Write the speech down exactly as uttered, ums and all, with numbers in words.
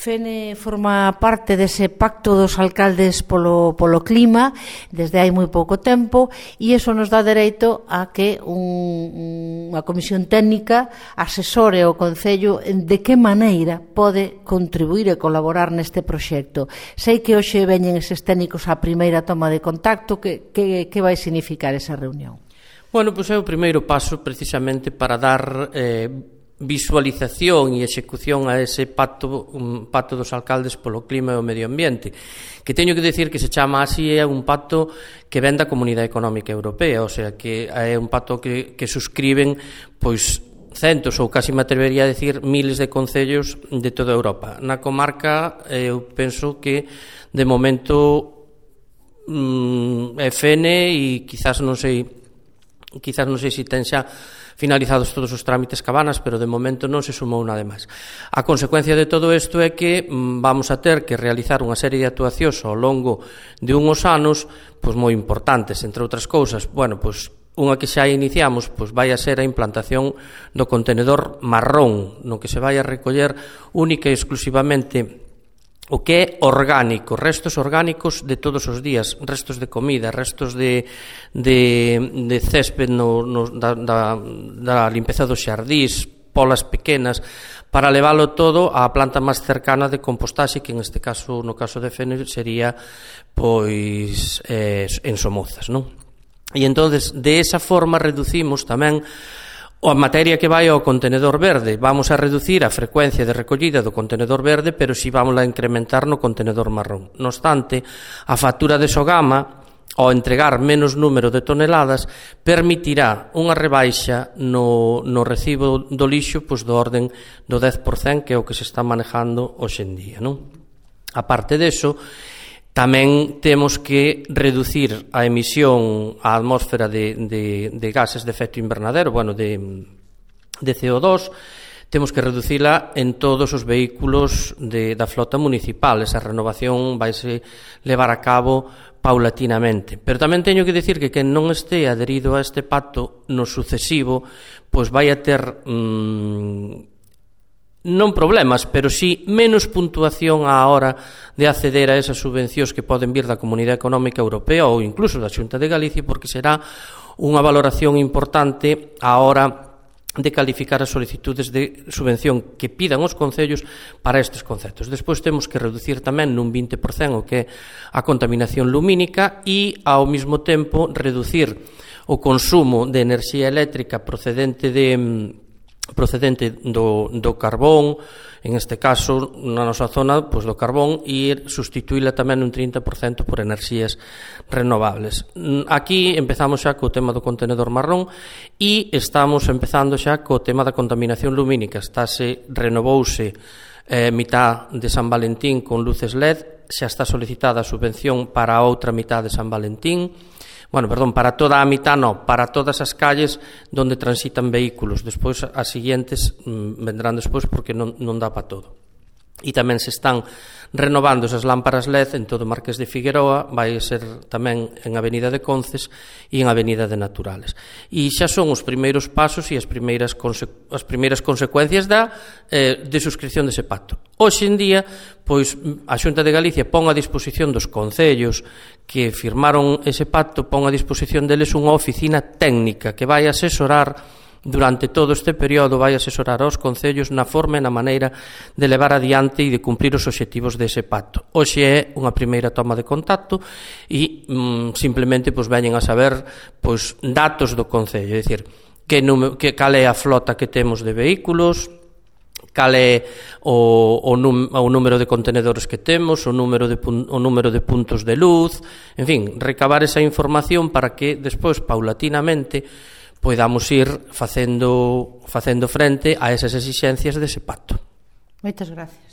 Fene forma parte dese pacto dos alcaldes polo, polo clima desde hai moi pouco tempo, e iso nos dá dereito a que un, unha comisión técnica asesore o Concello de que maneira pode contribuir e colaborar neste proxecto. Sei que hoxe veñen eses técnicos á primeira toma de contacto. Que, que, que vai significar esa reunión? Bueno, pois é o primeiro paso precisamente para dar eh, visualización e execución a ese pacto, un pacto dos alcaldes polo clima e o medio ambiente, que teño que decir que se chama así, é un pacto que ven da Comunidade Económica Europea, o sea, que é un pacto que, que suscriben pois centos ou casi me atrevería a decir miles de concellos de toda Europa. Na comarca eu penso que de momento mm, é Fene e quizás non sei quizás non sei se ten xa finalizados todos os trámites Cabanas, pero de momento non se sumou nada máis. A consecuencia de todo isto é que mm, vamos a ter que realizar unha serie de actuacións ao longo de unhos anos pois moi importantes, entre outras cousas. Bueno, pois unha que xa iniciamos pois vai a ser a implantación do contenedor marrón, no que se vai a recoller única e exclusivamente o que é orgánico, restos orgánicos de todos os días, restos de comida, restos de, de, de césped no, no, da, da, da limpeza dos xardís, polas pequenas, para leválo todo á planta máis cercana de compostaxe, que en este caso, no caso de Fene, sería pois eh, en Somozas, non? E entonces, de esa forma reducimos tamén a materia que vai ao contenedor verde. Vamos a reducir a frecuencia de recollida do contenedor verde, pero si vamos a incrementar no contenedor marrón. No obstante, a factura de Sogama, ao entregar menos número de toneladas, permitirá unha rebaixa no, no recibo do lixo pois do orden do dez por cento, que é o que se está manejando hoxe en día, non? A parte deso, tamén temos que reducir a emisión á atmósfera de, de, de gases de efecto invernadero, bueno, de, de C O dos, temos que reducila en todos os vehículos de, da flota municipal. Esa renovación vaise levar a cabo paulatinamente. Pero tamén teño que dicir que quen non este adherido a este pacto no sucesivo, pois vai a ter mmm, non problemas, pero sí menos puntuación á hora de acceder a esas subvencións que poden vir da Comunidade Económica Europea ou incluso da Xunta de Galicia, porque será unha valoración importante á hora de calificar as solicitudes de subvención que pidan os concellos para estes conceptos. Despois temos que reducir tamén nun vinte por cento o que é a contaminación lumínica e, ao mesmo tempo, reducir o consumo de enerxía eléctrica procedente de procedente do, do carbón, en este caso, na nosa zona, pois do carbón, e sustituíla tamén un trinta por cento por enerxías renovables. Aquí empezamos xa co tema do contenedor marrón e estamos empezando xa co tema da contaminación lumínica. Estáse, renovouse eh, mitad de San Valentín con luces L E D, xa está solicitada a subvención para a outra mitad de San Valentín. Bueno, perdón, para toda a mitad non, para todas as calles donde transitan vehículos. Despois, as siguientes mmm, vendrán despois porque non, non dá para todo. E tamén se están renovando esas lámparas L E D en todo o Marqués de Figueroa, vai ser tamén en Avenida de Conces e en Avenida de Naturales. E xa son os primeiros pasos e as primeiras, conse as primeiras consecuencias da, eh, de suscripción dese pacto. Hoxe en día, pois, a Xunta de Galicia pon a disposición dos concellos que firmaron ese pacto, pon a disposición deles unha oficina técnica que vai asesorar durante todo este período, vai asesorar aos concellos na forma e na maneira de levar adiante e de cumprir os obxectivos dese pacto. Hoxe é unha primeira toma de contacto e mm, simplemente pois, veñen a saber pois, datos do concello, é dicir, que, que, cal é a flota que temos de vehículos, cal é o, o, num, o número de contenedores que temos, o número, de, o número de puntos de luz, en fin, recabar esa información para que despois, paulatinamente, podamos ir facendo, facendo frente a esas exixencias dese pacto. Moitas gracias.